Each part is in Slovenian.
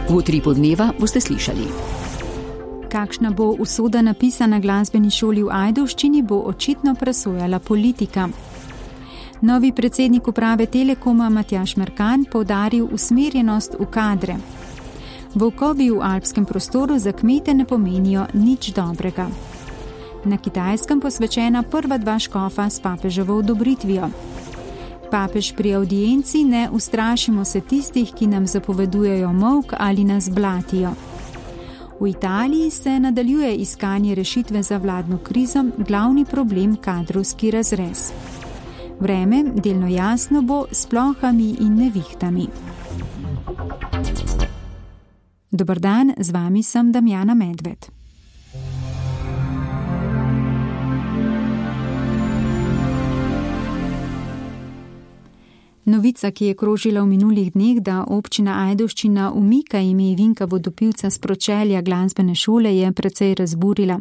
V Utripu dneva boste slišali. Kakšna bo usoda napisa na glasbeni šoli v Ajdovščini, bo očitno presojala politika. Novi predsednik uprave Telekoma Matjaž Merkan poudaril usmerjenost v kadre. Volkovi v alpskem prostoru za kmete ne pomenijo nič dobrega. Na Kitajskem posvečena prva 2 škofa s papeževo odobritvijo. Papež pri audienci: ne ustrašimo se tistih, ki nam zapovedujejo molk ali nas blatijo. V Italiji se nadaljuje iskanje rešitve za vladno krizo, glavni problem kadrovski razrez. Vreme delno jasno bo s plohami in nevihtami. Dober dan, z vami sem Damjana Medved. Novica, ki je krožila v minulih dneh, da občina Ajdovščina umika ime Vinka Vodopivca s pročelja glasbene šole, je precej razburila.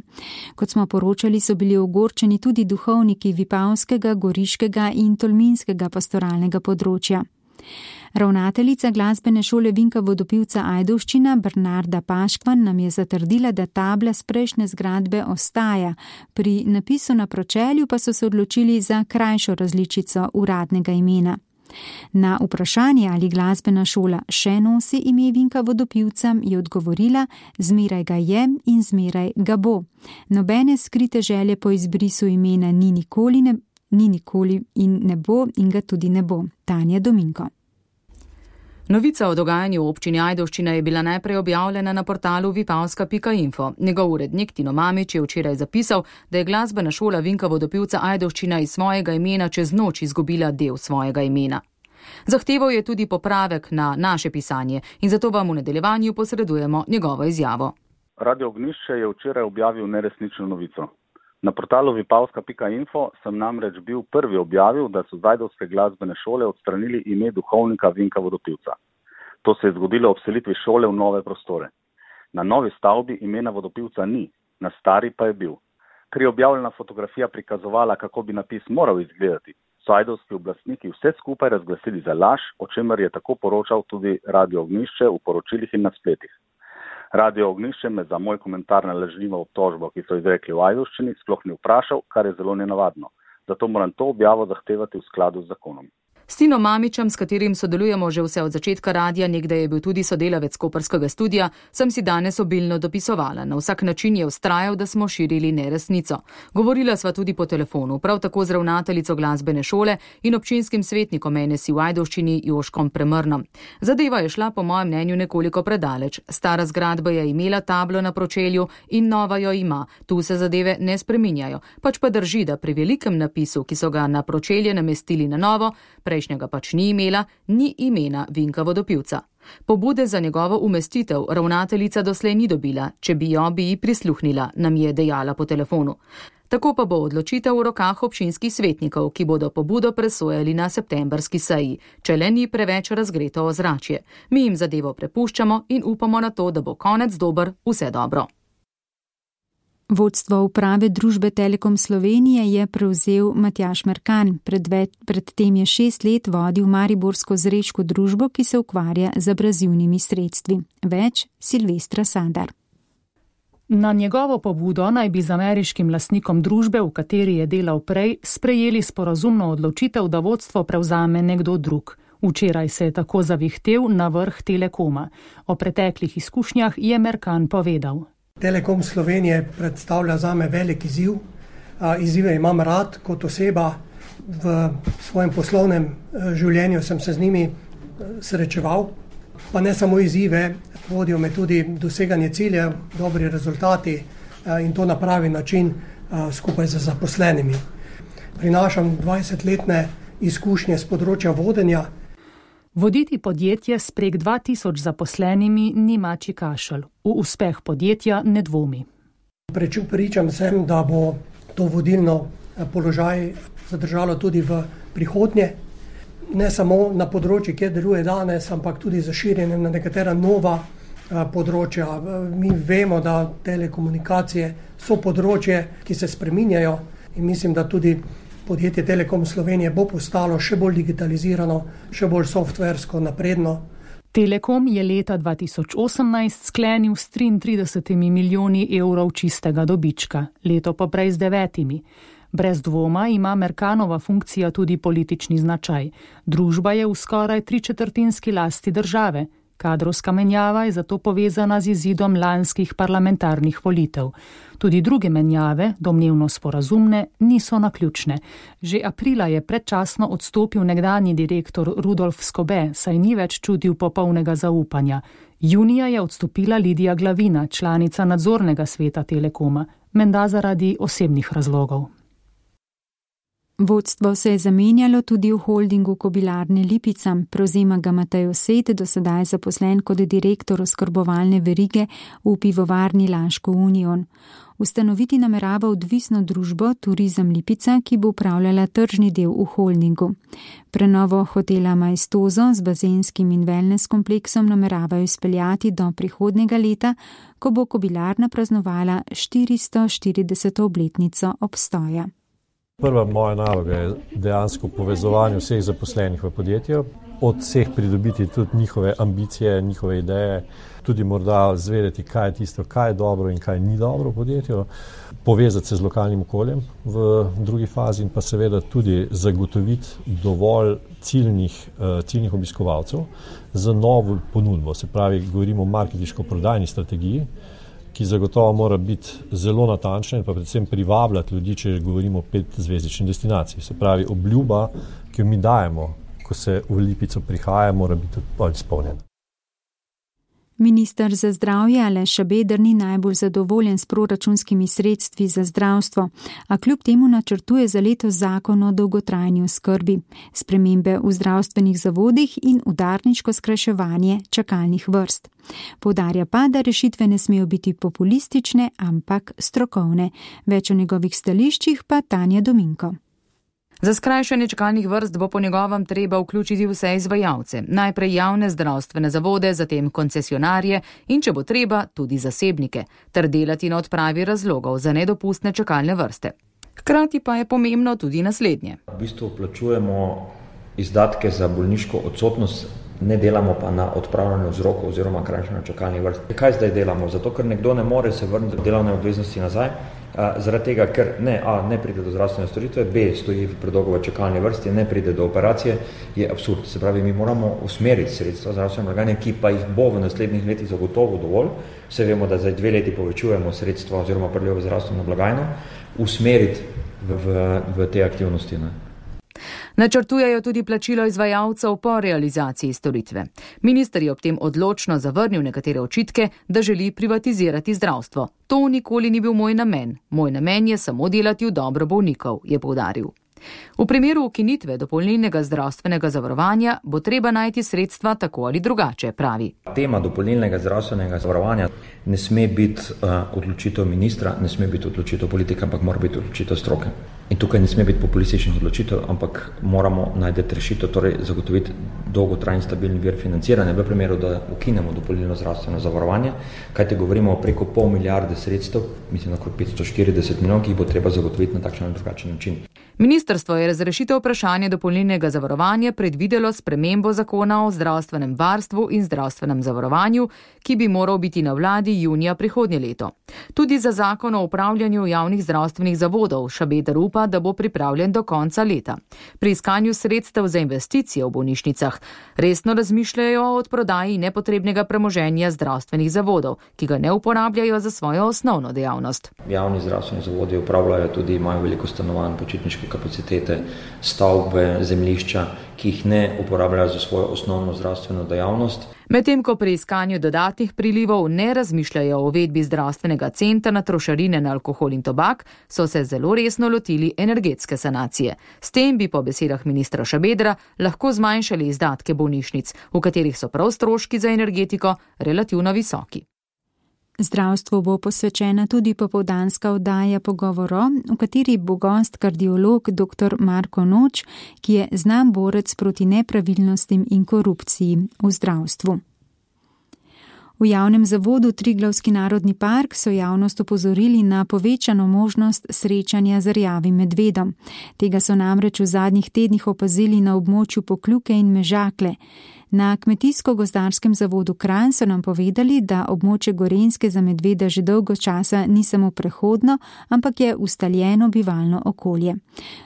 Kot smo poročali, so bili ogorčeni tudi duhovniki Vipavskega, Goriškega in Tolminskega pastoralnega področja. Ravnateljica glasbene šole Vinka Vodopivca Ajdovščina Bernarda Paškvan nam je zatrdila, da tabla s prejšnje zgradbe ostaja, pri napisu na pročelju pa so se odločili za krajšo različico uradnega imena. Na vprašanje, ali glasbena šola še nosi ime Vinka Vodopivca, je odgovorila: zmeraj ga je in zmeraj ga bo. Nobene skrite želje po izbrisu imena ni nikoli in ne bo in ga tudi ne bo. Tanja Dominko. Novica o dogajanju v občini Ajdovščina je bila najprej objavljena na portalu vipavska.info. Njegov urednik Tino Mamić je včeraj zapisal, da je glasbena šola Vinka Vodopivca Ajdovščina iz svojega imena čez noč izgubila del svojega imena. Zahteval je tudi popravek na naše pisanje in zato vam v nadaljevanju posredujemo njegovo izjavo. Radio Ognjišče je včeraj objavil neresnično novico. Na portalu vipavska.info sem namreč bil prvi objavil, da so z ajdovske glasbene šole odstranili ime duhovnika Vinka Vodopivca. To se je zgodilo ob selitvi šole v nove prostore. Na novi stavbi imena Vodopivca ni, na stari pa je bil. Ker je objavljena fotografija prikazovala, kako bi napis moral izgledati, so ajdovski oblastniki vse skupaj razglasili za laž, o čemer je tako poročal tudi Radio Ognjišče v poročilih in na spletih. Radio Ognjišče me za moj komentar na lažnivo obtožbo, ki so izrekli v Ajdovščini, sploh ni vprašal, kar je zelo nenavadno. Zato moram to objavo zahtevati v skladu z zakonom. S Tinom Mamićem, s katerim sodelujemo že vse od začetka radia, nekdaj je bil tudi sodelavec koprskega studija, sem si danes obilno dopisovala. Na vsak način je vztrajal, da smo širili neresnico. Govorila sva tudi po telefonu, prav tako z ravnateljico glasbene šole in občinskim svetnikom NSI v Ajdovščini Joškom Premrnom. Zadeva je šla po mojem mnenju nekoliko predaleč. Stara zgradba je imela tablo na pročelju in nova jo ima. Tu se zadeve ne spreminjajo. Pač pa drži, da pri velikem napisu, ki so ga na pročelje namestili na novo, prejšnjega pač ni imela, ni imena Vinka Vodopivca. Pobude za njegovo umestitev ravnateljica doslej ni dobila, če bi jo, bi ji prisluhnila, nam je dejala po telefonu. Tako pa bo odločitev v rokah občinskih svetnikov, ki bodo pobudo presojali na septembrski seji, če le ni preveč razgreto ozračje. Mi jim zadevo prepuščamo in upamo na to, da bo konec dober, vse dobro. Vodstvo uprave družbe Telekom Slovenije je prevzel Matjaž Merkan. Predtem je 6 let vodil mariborsko zrečko družbo, ki se ukvarja z abrazivnimi sredstvi. Več Silvestra Sadar. Na njegovo pobudo naj bi z ameriškim lastnikom družbe, v kateri je delal prej, sprejeli sporazumno odločitev, da vodstvo prevzame nekdo drug. Včeraj se je tako zavihtel na vrh Telekoma. O preteklih izkušnjah je Merkan povedal. Telekom Slovenije predstavlja zame velik izziv. Izzive imam rad kot oseba. V svojem poslovnem življenju sem se z njimi srečeval. Pa ne samo izzive, vodijo me tudi doseganje ciljev, dobri rezultati in to na pravi način skupaj z zaposlenimi. Prinašam 20-letne izkušnje z področja vodenja. Voditi podjetje s prek 2000 zaposlenimi ni mačji kašelj. V uspeh podjetja ne dvomi. Pričam sem, da bo to vodilno položaj zadržalo tudi v prihodnje. Ne samo na področju, kjer deluje danes, ampak tudi za širjenje na nekatera nova področja. Mi vemo, da telekomunikacije so področje, ki se spreminjajo in mislim, da tudi podjetje Telekom Slovenije bo postalo še bolj digitalizirano, še bolj softversko napredno. Telekom je leta 2018 sklenil s 33 milijoni evrov čistega dobička, leto pa prej z 9. Brez dvoma ima Merkanova funkcija tudi politični značaj. Družba je v skoraj 3/4 lasti države. Kadrovska menjava je zato povezana z izidom lanskih parlamentarnih volitev. Tudi druge menjave, domnevno sporazumne, niso naključne. Že aprila je predčasno odstopil nekdanji direktor Rudolf Skobe, saj ni več čutil popolnega zaupanja. Junija je odstopila Lidija Glavina, članica nadzornega sveta Telekoma, menda zaradi osebnih razlogov. Vodstvo se je zamenjalo tudi v holdingu Kobilarne Lipica, prevzema ga Matej Osed, do sedaj zaposlen kot direktor oskrbovalne verige v pivovarni Laško Union. Ustanoviti namerava odvisno družbo Turizem Lipica, ki bo upravljala tržni del v holdingu. Prenovo hotela Maestoso z bazenskim in wellness kompleksom nameravajo izpeljati do prihodnjega leta, ko bo Kobilarna praznovala 440. obletnico obstoja. Prva moja naloga je dejansko povezovanje vseh zaposlenih v podjetju, od vseh pridobiti tudi njihove ambicije, njihove ideje, tudi morda zvedeti, kaj je tisto, kaj je dobro in kaj ni dobro v podjetju, povezati se z lokalnim okoljem v drugi fazi in pa seveda tudi zagotoviti dovolj ciljnih obiskovalcev za novo ponudbo. Se pravi, govorimo o marketinško-prodajni strategiji, ki zagotovo mora biti zelo natančna in pa predvsem privabljati ljudi, če govorimo o 5-zvezdični destinaciji. Se pravi, obljuba, ki jo mi dajemo, ko se v Lipico prihaja, mora biti tudi izpolnjena. Minister za zdravje Aleš Šabeder ni najbolj zadovoljen s proračunskimi sredstvi za zdravstvo, a kljub temu načrtuje za letos zakon o dolgotrajni oskrbi, spremembe v zdravstvenih zavodih in udarniško skrajševanje čakalnih vrst. Poudarja pa, da rešitve ne smejo biti populistične, ampak strokovne. Več o njegovih stališčih pa Tanja Dominko. Za skrajšanje čakalnih vrst bo po njegovem treba vključiti vse izvajalce, najprej javne zdravstvene zavode, zatem koncesionarje in, če bo treba, tudi zasebnike, ter delati na odpravi razlogov za nedopustne čakalne vrste. Hkrati pa je pomembno tudi naslednje. V bistvu plačujemo izdatke za bolniško odsotnost, ne delamo pa na odpravljanje vzrokov oziroma krajšanje čakalnih vrst. Kaj zdaj delamo? Zato, ker nekdo ne more se vrniti v delovne obveznosti nazaj, zaradi tega, ker ne pride do zdravstvene storitve, B stoji v predolgo v čakalni vrsti, ne pride do operacije, je absurd. Se pravi, mi moramo usmeriti sredstva zdravstvene blagajne, ki pa jih bo v naslednjih letih zagotovo dovolj. Vse vemo, da zdaj 2 leti povečujemo sredstva oziroma priliv v zdravstveno blagajno, usmeriti v te aktivnosti. Načrtujejo tudi plačilo izvajalcev po realizaciji storitve. Minister je ob tem odločno zavrnil nekatere očitke, da želi privatizirati zdravstvo. To nikoli ni bil moj namen. Moj namen je samo delati v dobro bolnikov, je poudaril. V primeru ukinitve dopolnilnega zdravstvenega zavarovanja bo treba najti sredstva tako ali drugače, pravi. Tema dopolnilnega zdravstvenega zavarovanja ne sme biti odločitev ministra, ne sme biti odločitev politika, ampak mora biti odločitev stroke. In tukaj ne sme biti populističnih odločitev, ampak moramo najti rešitev, torej zagotoviti dolgotrajni stabilni vir financiranja v primeru, da ukinemo dopolnilno zdravstveno zavarovanje, kajti govorimo o preko 0,5 milijarde sredstev, mislim okrog 540 milijonov, ki jih bo treba zagotoviti na takšen ali drugačen način. Ministrstvo je razrešitev vprašanja dopolnilnega zavarovanja predvidelo spremembo zakona o zdravstvenem varstvu in zdravstvenem zavarovanju, ki bi moral biti na vladi junija prihodnje leto. Tudi za zakon o upravljanju javnih zdravstvenih zavodov Šabeder upa, da bo pripravljen do konca leta. Pri iskanju sredstev za investicije v bolnišnicah resno razmišljajo o odprodaji nepotrebnega premoženja zdravstvenih zavodov, ki ga ne uporabljajo za svojo osnovno dejavnost. Javni zdravstveni zavodi upravljajo tudi, imajo veliko stanovanj, počitniške kapacitete, stavbe, zemljišča, ki jih ne uporabljajo za svojo osnovno zdravstveno dejavnost. Medtem ko pri iskanju dodatnih prilivov ne razmišljajo o uvedbi zdravstvenega centra na trošarine na alkohol in tobak, so se zelo resno lotili energetske sanacije. S tem bi po besedah ministra Šabedra lahko zmanjšali izdatke bolnišnic, v katerih so prav stroški za energetiko relativno visoki. Zdravstvu bo posvečena tudi popoldanska oddaja Pogovoro, v kateri bo gost kardiolog dr. Marko Noč, ki je znan borec proti nepravilnostim in korupciji v zdravstvu. V javnem zavodu Triglavski narodni park so javnost opozorili na povečano možnost srečanja z rjavim medvedom. Tega so namreč v zadnjih tednih opazili na območju Pokljuke in Mežakle. Na Kmetijsko-gozdarskem zavodu Kranj so nam povedali, da območje Gorenjske za medveda že dolgo časa ni samo prehodno, ampak je ustaljeno bivalno okolje.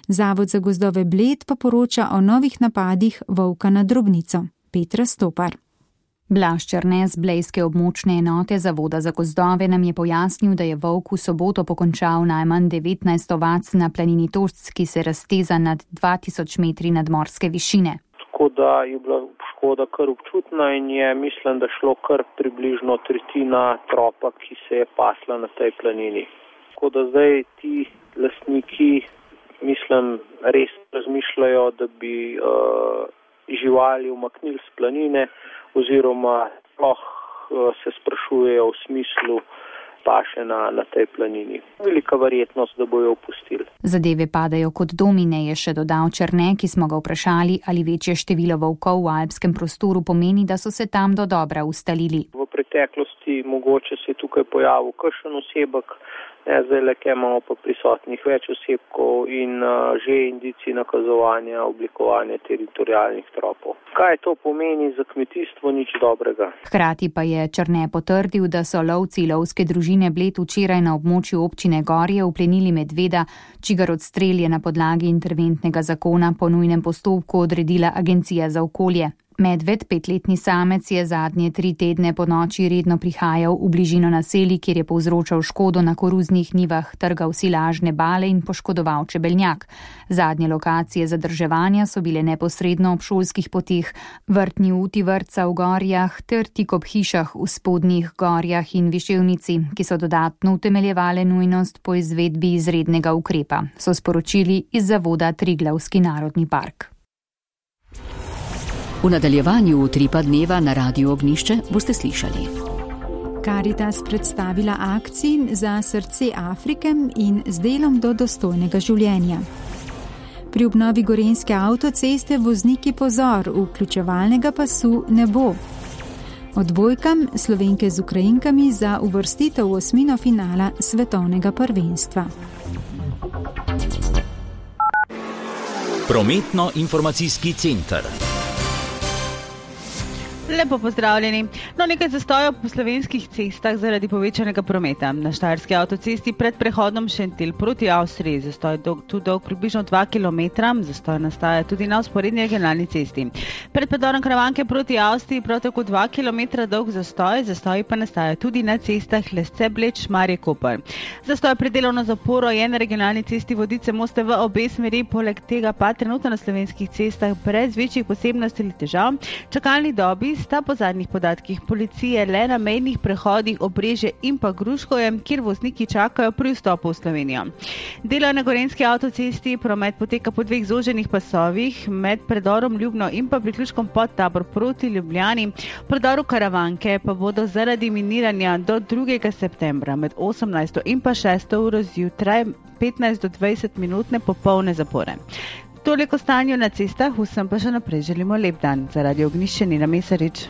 Zavod za gozdove Bled pa poroča o novih napadih volka na drobnico. Petra Stopar. Blaž Černe z blejske območne enote Zavoda za gozdove nam je pojasnil, da je volk v soboto pokončal najmanj 19 ovac na planini Tošc, ki se razteza nad 2000 metri nadmorske višine. Tako da je bila škoda kar občutna in je, mislim, da šlo kar približno tretjina tropa, ki se je pasla na tej planini. Tako da zdaj ti lastniki, mislim, res razmišljajo, da bi živali umaknili s planine, oziroma sploh se sprašujejo v smislu paše na tej planini. Velika verjetnost, da bojo opustili. Zadeve padajo kot domine, je še dodal Černe, ki smo ga vprašali, ali večje število volkov v alpskem prostoru pomeni, da so se tam dodobra ustalili. V preteklosti mogoče se je tukaj pojavil kakšen osebek, zdaj le imamo pa prisotnih več osebkov in že indici nakazovanja, oblikovanja teritorijalnih tropov. Kaj to pomeni za kmetijstvo? Nič dobrega. Hkrati pa je Černe potrdil, da so lovci lovske družine Bled včeraj na območju občine Gorje uplenili medveda, čigar odstrel je na podlagi interventnega zakona po nujnem postopku odredila Agencija za okolje. Medved, 5-letni samec, je zadnje 3 tedne po noči redno prihajal v bližino naselij, kjer je povzročal škodo na koruznih njivah, trgal silažne bale in poškodoval čebeljak. Zadnje lokacije zadrževanja so bile neposredno ob šolskih poteh, vrtni uti vrtca v Gorjah ter tik ob hišah v Spodnjih Gorjah in Viševnici, ki so dodatno utemeljevale nujnost po izvedbi izrednega ukrepa, so sporočili iz Zavoda Triglavski narodni park. V nadaljevanju Utripa dneva na Radiu Ognjišče boste slišali. Karitas predstavila akciji za srce Afrike in z delom do dostojnega življenja. Pri obnovi gorenjske avtoceste vozniki pozor, vključevalnega pasu ne bo. Odbojkam Slovenke z Ukrajinkami za uvrstitev v osmino finala svetovnega prvenstva. Prometno-informacijski center. Lepo pozdravljeni. Nekaj zastojev po slovenskih cestah zaradi povečanega prometa. Na Štajerski avtocesti pred prehodom Šentilj proti Avstriji zastoj dolg približno 2 km, zastoj nastaja tudi na vzporedni regionalni cesti. Pred predorom Karavanke proti Avstriji prav tako 2 km dolg zastoj pa nastaja tudi na cestah Lesce-Bled, Šmarje-Koper. Zastoj pred delovno zaporo je na regionalni cesti Vodice-Moste v obe smeri, poleg tega pa trenutno na slovenskih cestah brez večjih posebnosti ali težav. Čakalni dobi sta po zadnjih podatkih policije le na mejnih prehodih Obrežje in pa Gruškovje, kjer vozniki čakajo pri vstopu v Slovenijo. Delo na gorenjski avtocesti, promet poteka po 2 zoženih pasovih, med predorom Ljubno in pa priključkom Podtabor proti Ljubljani. V predoru Karavanke pa bodo zaradi miniranja do 2. septembra med 18. in pa 6. uro zjutraj 15 do 20 minutne popolne zapore. Toliko stanju na cestah, vsem pa še naprej želimo lep dan. Za Radio Ognjišče Nina Mesarič.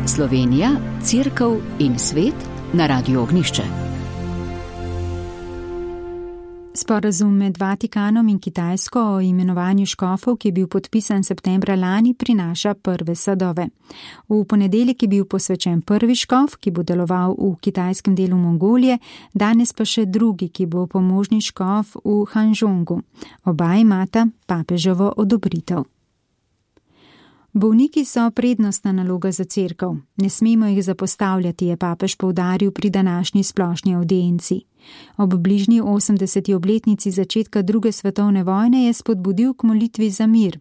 Slovenija, Cerkev in svet na Radiu Ognjišče. Sporazum med Vatikanom in Kitajsko o imenovanju škofov, ki je bil podpisan septembra lani, prinaša prve sadove. V ponedeljek je bil posvečen prvi škof, ki bo deloval v kitajskem delu Mongolije, danes pa še drugi, ki bo pomožni škof v Hanžongu. Oba imata papeževo odobritev. Bolniki so prednostna naloga za cerkev. Ne smemo jih zapostavljati, je papež poudaril pri današnji splošni avdienci. Ob bližnji 80. obletnici začetka 2. svetovne vojne je spodbudil k molitvi za mir.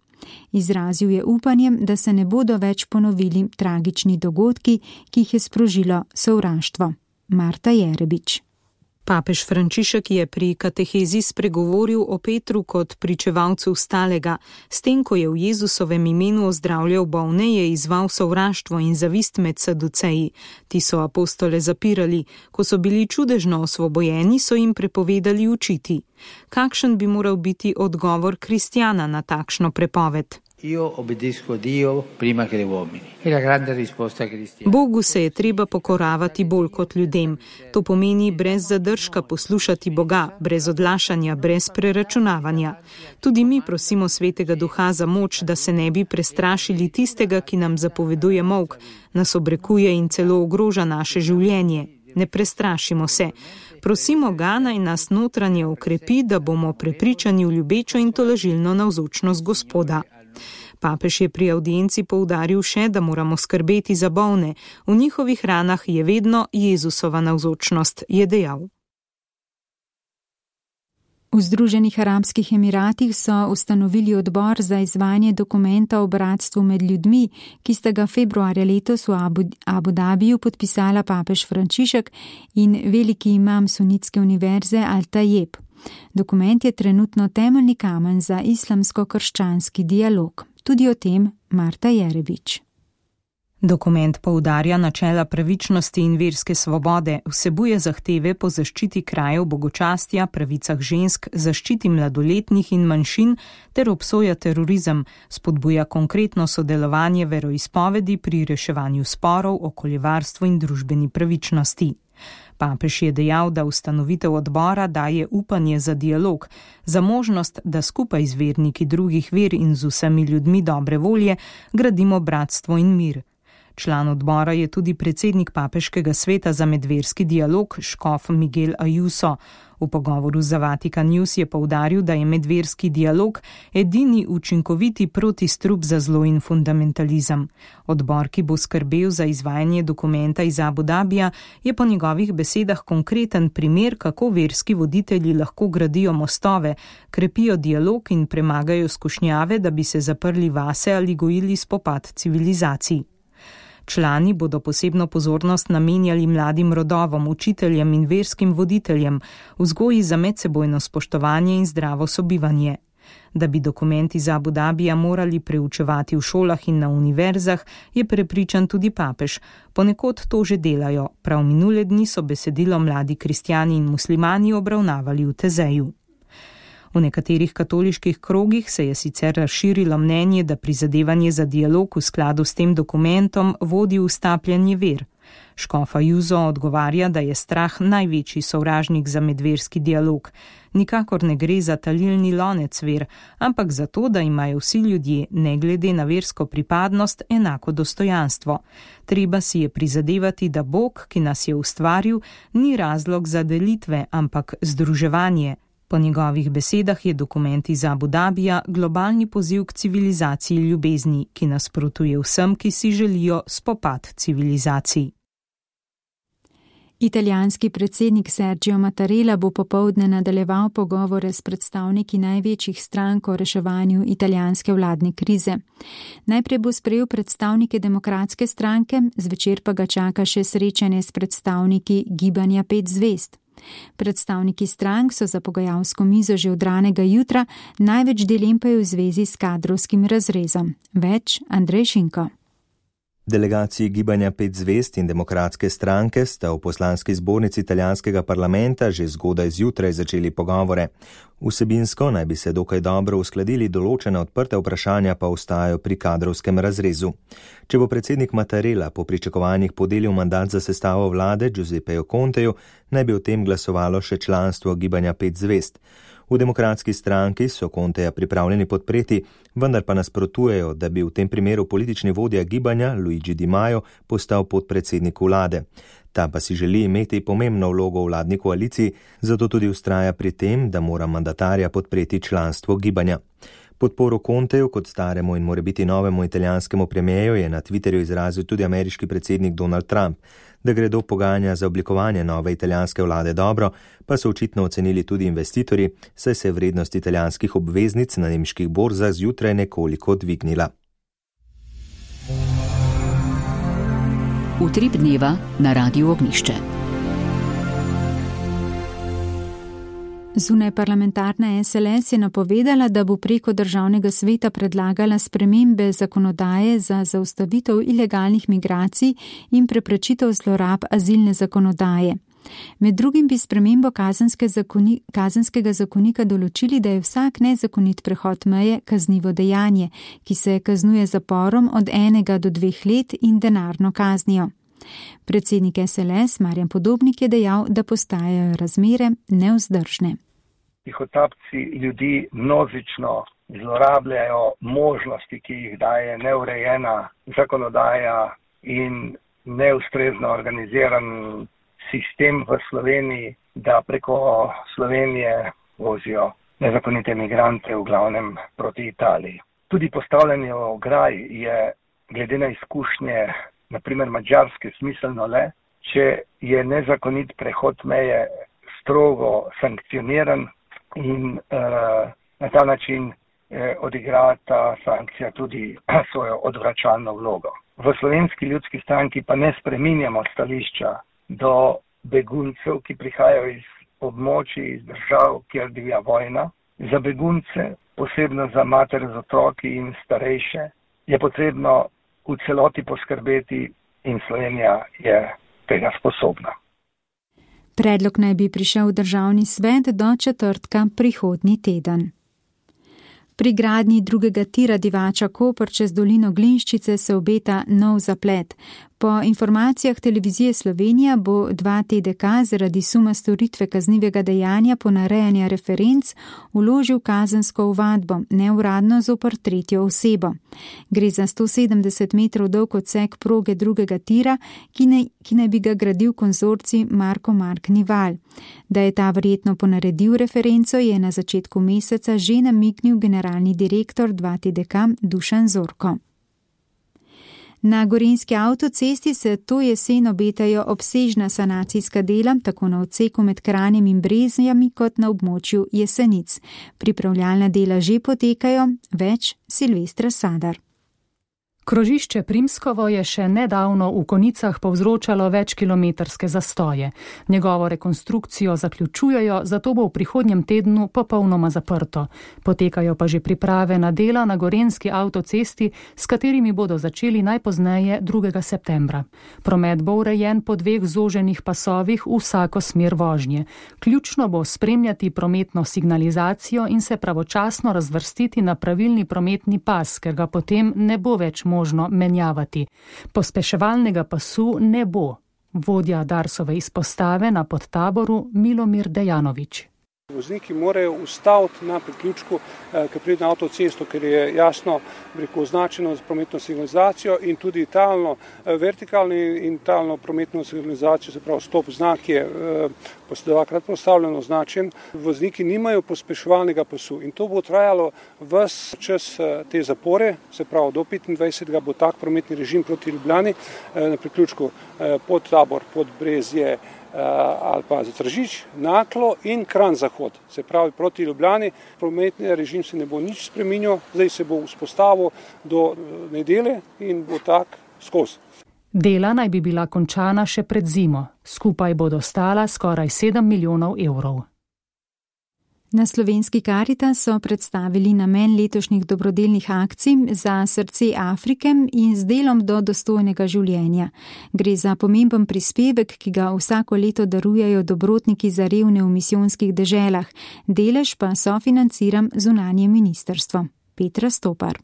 Izrazil je upanje, da se ne bodo več ponovili tragični dogodki, ki jih je sprožilo sovraštvo. Marta Jerebič. Papež Frančišek je pri katehezi spregovoril o Petru kot pričevalcu stalega. S tem, ko je v Jezusovem imenu ozdravljal bolne, je izval sovraštvo in zavist med saduceji. Ti so apostole zapirali. Ko so bili čudežno osvobojeni, so jim prepovedali učiti. Kakšen bi moral biti odgovor kristjana na takšno prepoved? Bogu se je treba pokoravati bolj kot ljudem. To pomeni brez zadržka poslušati Boga, brez odlašanja, brez preračunavanja. Tudi mi prosimo Svetega Duha za moč, da se ne bi prestrašili tistega, ki nam zapoveduje molk, nas obrekuje in celo ogroža naše življenje. Ne prestrašimo se. Prosimo ga, naj nas notranje okrepi, da bomo prepričani v ljubečo in tolažilno navzočnost Gospoda. Papež je pri avdienci poudaril še, da moramo skrbeti za bolne. V njihovih ranah je vedno Jezusova navzočnost, je dejal. V Združenih arabskih emiratih so ustanovili odbor za izvajanje dokumenta o bratstvu med ljudmi, ki sta ga februarja letos v Abu Dhabiju podpisala papež Frančišek in veliki imam sunitske univerze Al-Tajeb. Dokument je trenutno temeljni kamen za islamsko-krščanski dialog. Tudi o tem Marta Jerebič. Dokument poudarja načela pravičnosti in verske svobode, vsebuje zahteve po zaščiti krajev bogočastja, pravicah žensk, zaščiti mladoletnih in manjšin ter obsoja terorizem, spodbuja konkretno sodelovanje veroizpovedi pri reševanju sporov, okoljevarstvu in družbeni pravičnosti. Papež je dejal, da ustanovitev odbora daje upanje za dialog, za možnost, da skupaj z verniki drugih ver in z vsemi ljudmi dobre volje gradimo bratstvo in mir. Član odbora je tudi predsednik Papeškega sveta za medverski dialog, škof Miguel Ayuso. V pogovoru za Vatikan News je poudaril, da je medverski dialog edini učinkoviti protistrup za zlo in fundamentalizem. Odbor, ki bo skrbel za izvajanje dokumenta iz Abu Dhabija, je po njegovih besedah konkreten primer, kako verski voditelji lahko gradijo mostove, krepijo dialog in premagajo skušnjave, da bi se zaprli vase ali gojili spopad civilizacij. Člani bodo posebno pozornost namenjali mladim rodovom, učiteljem in verskim voditeljem, vzgoji za medsebojno spoštovanje in zdravo sobivanje. Da bi dokument iz Abu Dhabija morali preučevati v šolah in na univerzah, je prepričan tudi papež. Ponekod to že delajo, prav minule dni so besedilo mladi kristjani in muslimani obravnavali v Tezeju. V nekaterih katoliških krogih se je sicer razširilo mnenje, da prizadevanje za dialog v skladu s tem dokumentom vodi v stapljanje ver. Škof Ayuso odgovarja, da je strah največji sovražnik za medverski dialog. Nikakor ne gre za talilni lonec ver, ampak za to, da imajo vsi ljudje, ne glede na versko pripadnost, enako dostojanstvo. Treba si je prizadevati, da Bog, ki nas je ustvaril, ni razlog za delitve, ampak združevanje. Po njegovih besedah je dokument iz Abu Dhabija globalni poziv k civilizaciji ljubezni, ki nasprotuje vsem, ki si želijo spopad civilizacij. Italijanski predsednik Sergio Mattarella bo popoldne nadaljeval pogovore s predstavniki največjih strank o reševanju italijanske vladne krize. Najprej bo sprejel predstavnike demokratske stranke, zvečer pa ga čaka še srečanje s predstavniki gibanja 5 zvezd. Predstavniki strank so za pogajalsko mizo že od ranega jutra, največ dilem pa je v zvezi s kadrovskim razrezom. Več Andrej Šinko. Delegaciji gibanja 5 zvezd in demokratske stranke sta v poslanski zbornici italijanskega parlamenta že zgodaj zjutraj začeli pogovore. Vsebinsko naj bi se dokaj dobro uskladili, določena odprta vprašanja pa ostajajo pri kadrovskem razrezu. Če bo predsednik Mattarella po pričakovanjih podelil mandat za sestavo vlade Giuseppeju Conteju, naj bi o tem glasovalo še članstvo gibanja 5 zvezd. V demokratski stranki so Conteja pripravljeni podpreti, vendar pa nasprotujejo, da bi v tem primeru politični vodja gibanja Luigi Di Maio postal podpredsednik vlade. Ta pa si želi imeti pomembno vlogo v vladni koaliciji, zato tudi vztraja pri tem, da mora mandatarja podpreti članstvo gibanja. Podporo Conteju kot staremu in morebiti novemu italijanskemu premijeju je na Twitterju izrazil tudi ameriški predsednik Donald Trump. Da gredo pogajanja za oblikovanje nove italijanske vlade dobro, pa so očitno ocenili tudi investitorji, saj se je vrednost italijanskih obveznic na nemških borzah zjutraj nekoliko dvignila. Utrip dneva na Radiu Ognjišče. Zunajparlamentarna SLS je napovedala, da bo preko državnega sveta predlagala spremembe zakonodaje za zaustavitev ilegalnih migracij in preprečitev zlorab azilne zakonodaje. Med drugim bi spremembo kazenskega zakonika določili, da je vsak nezakonit prehod meje kaznivo dejanje, ki se kaznuje zaporom od 1 do 2 let in denarno kaznijo. Predsednik SLS Marjan Podobnik je dejal, da postajajo razmere nevzdržne. Tihotapci ljudi množično zlorabljajo možnosti, ki jih daje neurejena zakonodaja in neustrezno organiziran sistem v Sloveniji, da preko Slovenije vozijo nezakonite migrante v glavnem proti Italiji. Tudi postavljanje ograj je glede na izkušnje, naprimer Madžarske, smiselno le, če je nezakonit prehod meje strogo sankcioniran in na ta način odigra ta sankcija tudi svojo odvračalno vlogo. V Slovenski ljudski stranki pa ne spreminjamo stališča do beguncev, ki prihajajo iz območij, iz držav, kjer divja vojna. Za begunce, posebno za matere z otroki in starejše, je potrebno v celoti poskrbeti in Slovenija je tega sposobna. Predlog naj bi prišel v državni svet do četrtka prihodnji teden. Pri gradnji drugega tira Divača-Koper čez dolino Glinščice se obeta nov zaplet. Po informacijah Televizije Slovenija bo 2 TDK zaradi suma storitve kaznivega dejanja ponarejanja referenc vložil kazensko ovadbo, neuradno zoper 3. osebo. Gre za 170 metrov dolg odsek proge drugega tira, ki naj bi ga gradil konzorcij Marko Mark Nival. Da je ta verjetno ponaredil referenco, je na začetku meseca že namignil generalni direktor 2 TDK Dušan Zorko. Na gorenjski avtocesti se to jesen obetajo obsežna sanacijska dela, tako na odseku med Kranjem in Brezjami kot na območju Jesenic. Pripravljalna dela že potekajo, več Silvestra Sadar. Krožišče Primskovo je še nedavno v konicah povzročalo večkilometrske zastoje. Njegovo rekonstrukcijo zaključujejo, zato bo v prihodnjem tednu popolnoma zaprto. Potekajo pa že priprave na dela na gorenjski avtocesti, s katerimi bodo začeli najpozneje 2. septembra. Promet bo urejen po 2 zoženih pasovih v vsako smer vožnje. Ključno bo spremljati prometno signalizacijo in se pravočasno razvrstiti na pravilni prometni pas, ker ga potem ne bo več možno menjavati. Pospeševalnega pasu ne bo. Vodja Darsove izpostave na Podtaboru Milomir Dejanović. Vozniki morajo ustaviti na priključku, ki pride na avtocesto, ker je jasno označeno z prometno signalizacijo in tudi talno, vertikalno in talno prometno signalizacijo, se pravi stop znak je 2-krat postavljeno označen. Vozniki nimajo pospeševalnega pasu in to bo trajalo ves čas te zapore, se pravi do 25. bo tak prometni režim proti Ljubljani na priključku Podtabor, Podbrezje, ali pa za Tržič, Naklo in Kranj Zahod. Se pravi, proti Ljubljani prometni režim se ne bo nič spreminjal, zdaj se bo vzpostavil do nedelje in bo tak skozi. Dela naj bi bila končana še pred zimo. Skupaj bodo stala skoraj 7 milijonov evrov. Na slovenski Karitas so predstavili namen letošnjih dobrodelnih akcij za srce Afrike in z delom do dostojnega življenja. Gre za pomemben prispevek, ki ga vsako leto darujejo dobrotniki za revne v misijonskih deželah. Delež pa sofinancira zunanje ministrstvo. Petra Stopar.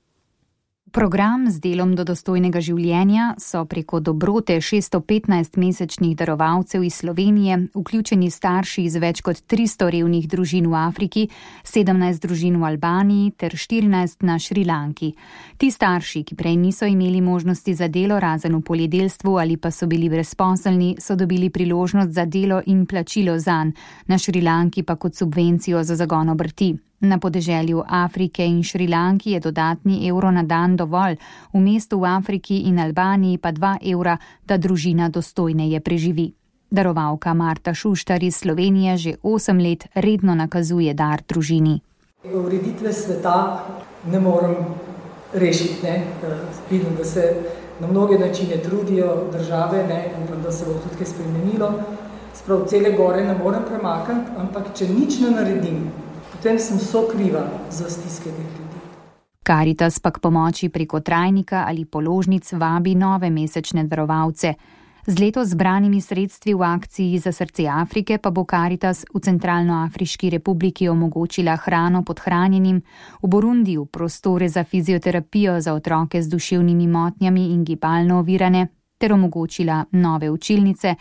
Program z delom do dostojnega življenja so preko dobrote 615 mesečnih darovalcev iz Slovenije vključeni starši iz več kot 300 revnih družin v Afriki, 17 družin v Albaniji ter 14 na Šrilanki. Ti starši, ki prej niso imeli možnosti za delo razen v poljedelstvu ali pa so bili brezposelni, so dobili priložnost za delo in plačilo zanj, na Šrilanki pa kot subvencijo za zagon obrti. Na podeželju Afrike in Šrilanki je dodatni evro na dan dovolj, v mestu v Afriki in Albaniji pa 2 evra, da družina dostojneje preživi. Darovalka Marta Šuštar iz Slovenije že 8 let redno nakazuje dar družini. Ureditve sveta ne morem rešiti, vidim, da se na mnoge načine trudijo države, upam, da se bo tudi kaj spremenilo. Sprav cele gore ne morem premakniti, ampak če nič ne naredim, potem sem sokriva za stiske teh ljudi. Karitas pa k pomoči preko trajnika ali položnic vabi nove mesečne darovalce. Z letos zbranimi sredstvi v akciji Za srce Afrike pa bo Karitas v Centralnoafriški republiki omogočila hrano podhranjenim, v Burundiju prostore za fizioterapijo za otroke z duševnimi motnjami in gibalno ovirane ter omogočila nove učilnice,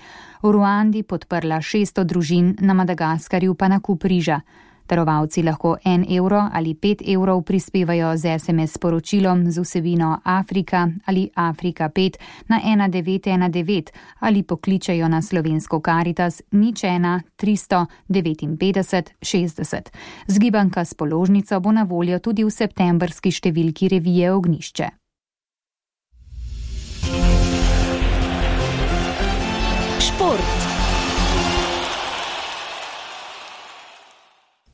v Ruandi podprla 600 družin, na Madagaskarju pa nakup riža. Darovalci lahko 1 evro ali 5 evrov prispevajo z SMS sporočilom z vsebino Afrika ali Afrika 5 na 1919 ali pokličajo na slovensko Karitas 01 359 60. Zgibanka s položnico bo na voljo tudi v septembrski številki revije Ognjišče. Šport.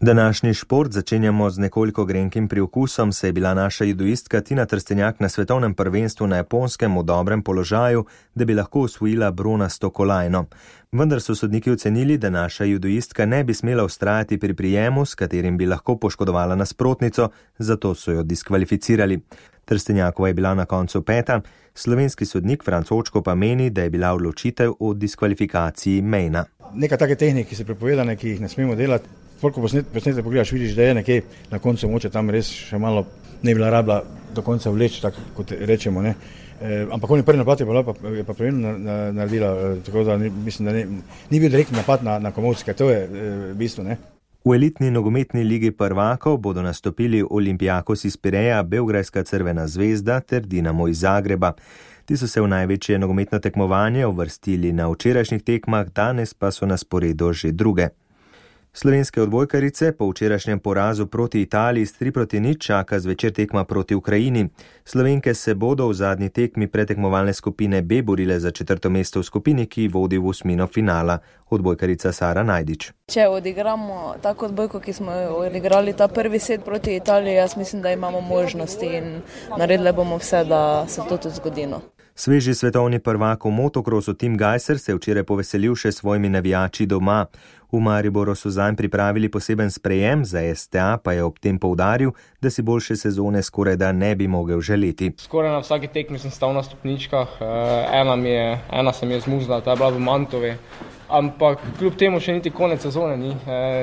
Današnji šport začenjamo z nekoliko grenkim priokusom, saj je bila naša judoistka Tina Trstenjak na svetovnem prvenstvu na Japonskem v dobrem položaju, da bi lahko osvojila bronasto kolajno. Vendar so sodniki ocenili, da naša judoistka ne bi smela vztrajati pri prijemu, s katerim bi lahko poškodovala nasprotnico, zato so jo diskvalificirali. Trstenjakova je bila na koncu 5. Slovenski sodnik Franc Očko pa meni, da je bila odločitev o diskvalifikaciji mejna. Nekaj take tehnike, ki so prepovedane, ki jih ne smemo delati. Ko posnete pogledaš, vidiš, da je nekje na koncu moče tam res še malo ne bila rabila do konca vleči, tako kot rečemo. Ne. Ampak on je prvi napad je pa pravilno naredila, tako da mislim, da ni bil direktni napad na Komovska, to je bistvo. Ne. V elitni nogometni ligi prvakov bodo nastopili Olympiakos iz Pireja, Beograjska Crvena zvezda ter Dinamo iz Zagreba. Ti so se v največje nogometno tekmovanje uvrstili na včerajšnjih tekmah, danes pa so na sporedu že druge. Slovenske odbojkarice po včerajšnjem porazu proti Italiji s 3-0 čaka zvečer tekma proti Ukrajini. Slovenke se bodo v zadnji tekmi pretekmovalne skupine B borile za 4. mesto v skupini, ki vodi v osmino finala. Odbojkarica Sara Najdič. Če odigramo tako odbojko, ki smo odigrali ta prvi set proti Italiji, jaz mislim, da imamo možnosti in naredili bomo vse, da se to tudi zgodi. Sveži svetovni prvak v motokrosu Tim Gajser se je včeraj poveselil še svojimi navijači doma. V Mariboru so zanj pripravili poseben sprejem, za STA pa je ob tem poudaril, da si boljše sezone skoraj da ne bi mogel želeti. Skoraj na vsaki tekmi sem stal na stopničkah, ena se mi je zmuzla, ta je bila v Mantovi, ampak kljub temu še niti konec sezone ni.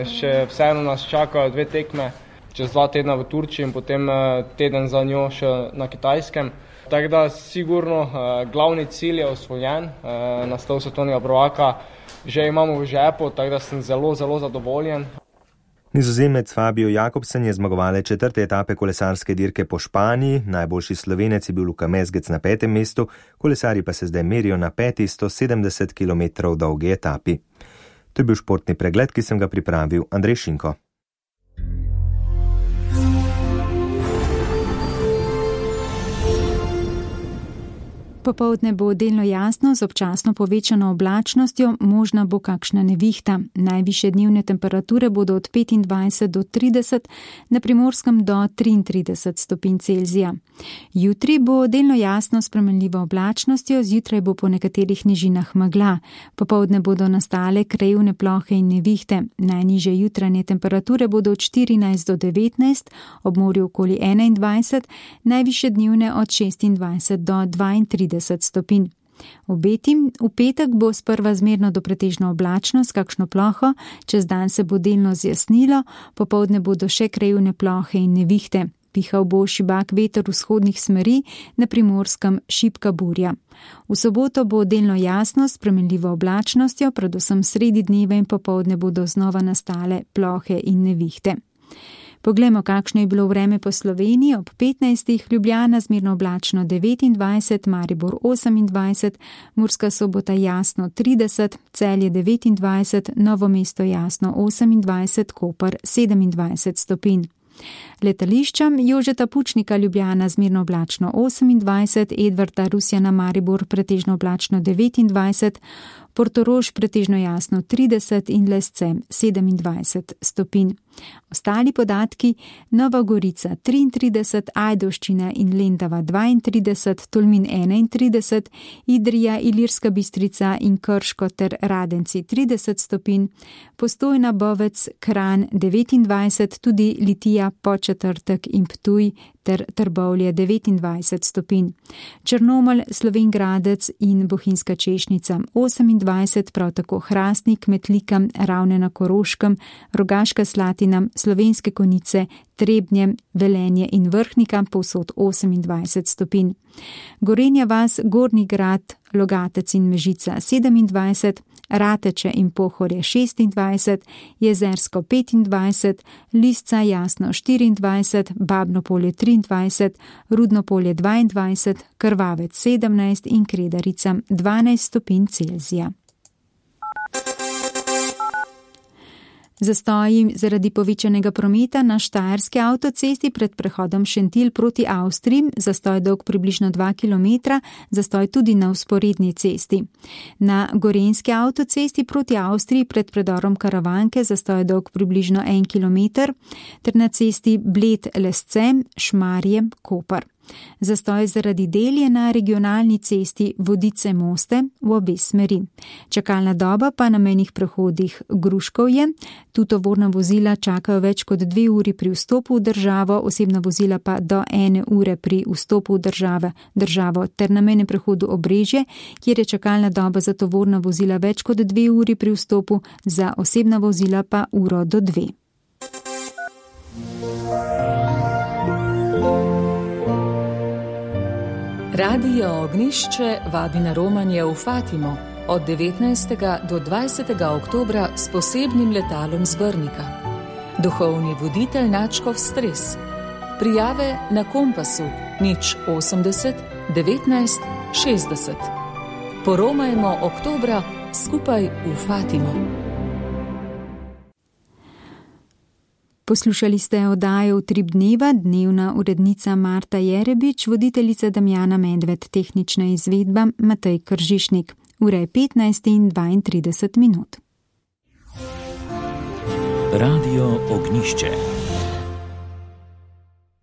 Še vseeno nas čakajo 2 tekme, čez 2 tedna v Turčiji in potem teden za njo še na Kitajskem. Tako da sigurno glavni cilj je osvojen, naslov svetovnega prvaka že imamo v žepu, tako da sem zelo, zelo zadovoljen. Nizozemec Fabio Jakobsen je zmagovalec 4. etape kolesarske dirke po Španiji, najboljši Slovenec je bil Luka Mezgec na 5. mestu, kolesarji pa se zdaj merijo na 5. 170 km dolgi etapi. To je bil športni pregled, ki sem ga pripravil Andrej Šinko. Popoldne bo delno jasno z občasno povečano oblačnostjo, možna bo kakšna nevihta. Najvišje dnevne temperature bodo od 25 do 30, na Primorskem do 33 stopinj Celzija. Jutri bo delno jasno s spremenljivo oblačnostjo, zjutraj bo po nekaterih nižinah megla. Popoldne bodo nastale krajevne plohe in nevihte. Najnižje jutranje temperature bodo od 14 do 19, ob morju okoli 21, najvišje dnevne od 26 do 32 stopinj. V petek bo sprva zmerno do pretežno oblačno s kakšno ploho, čez dan se bo delno zjasnilo, popoldne bodo še krajevne plohe in nevihte. Pihal bo šibak veter vzhodnih smeri, na Primorskem šibka burja. V soboto bo delno jasno s spremenljivo oblačnostjo, predvsem sredi dneva in popoldne bodo znova nastale plohe in nevihte. Poglejmo, kakšno je bilo vreme po Sloveniji. Ob 15. Ljubljana zmerno oblačno 29, Maribor 28, Murska Sobota jasno 30, Celje 29, Novo mesto jasno 28, Koper 27 stopinj. Letališčem Jožeta Pučnika Ljubljana zmerno oblačno 28, Edvarda Rusjana Maribor pretežno oblačno 29, Portorož pretežno jasno 30 in Lesce 27 stopinj. Ostali podatki: Nova Gorica 33, Ajdovščina in Lendava 32, Tolmin 31, Idrija, Ilirska Bistrica in Krško ter Radenci 30 stopinj, Postojna, Bovec, Kranj 29, tudi Litija, Podčetrtek in Ptuj ter Trbovlje 29 stopinj. Črnomelj, Slovenj Gradec in Bohinjska Češnica 28, prav tako Hrastnik, Metlika, Ravne na Koroškem, Rogaška Slatina, Slovenske Konjice, Trebnje, Velenje in Vrhnika povsod 28 stopinj. Gorenja vas, Gornji Grad, Logatec in Mežica 27, Rateče in Pohorje 26, Jezersko 25, Lisca Jasno 24, Babno Polje 23, Rudno Polje 22, Krvavec 17 in Kredarica 12 stopinj Celzija. Zastoji zaradi povečanega prometa na Štajerski avtocesti pred prehodom Šentilj proti Avstriji, zastoj dolg približno 2 km, zastoj tudi na vzporedni cesti. Na Gorenjski avtocesti proti Avstriji pred predorom Karavanke zastoj dolg približno 1 km, ter na cesti Bled-Lesce, Šmarje, Koper. Zastoj zaradi del je na regionalni cesti Vodice-Moste v obe smeri. Čakalna doba pa na mejnih prehodih Gruškovje. Tu tovorna vozila čakajo več kot 2 uri pri vstopu v državo, osebna vozila pa do 1 ure pri vstopu v državo ter na mejnem prehodu Obrežje, kjer je čakalna doba za tovorna vozila več kot 2 uri pri vstopu, za osebna vozila pa 1 uro do 2. Radio Ognjišče vabi na romanje v Fatimo od 19. do 20. oktobra s posebnim letalom z Brnika. Duhovni voditelj nadškof Stres. Prijave na Kompasu 080 19 60. Poromajmo oktobra skupaj v Fatimo. Poslušali ste oddajo Utrip dneva, dnevna urednica Marta Jerebič, voditeljica Damjana Medved, tehnična izvedba Matej Kržišnik. Ura je 15:32. Radio Ognjišče.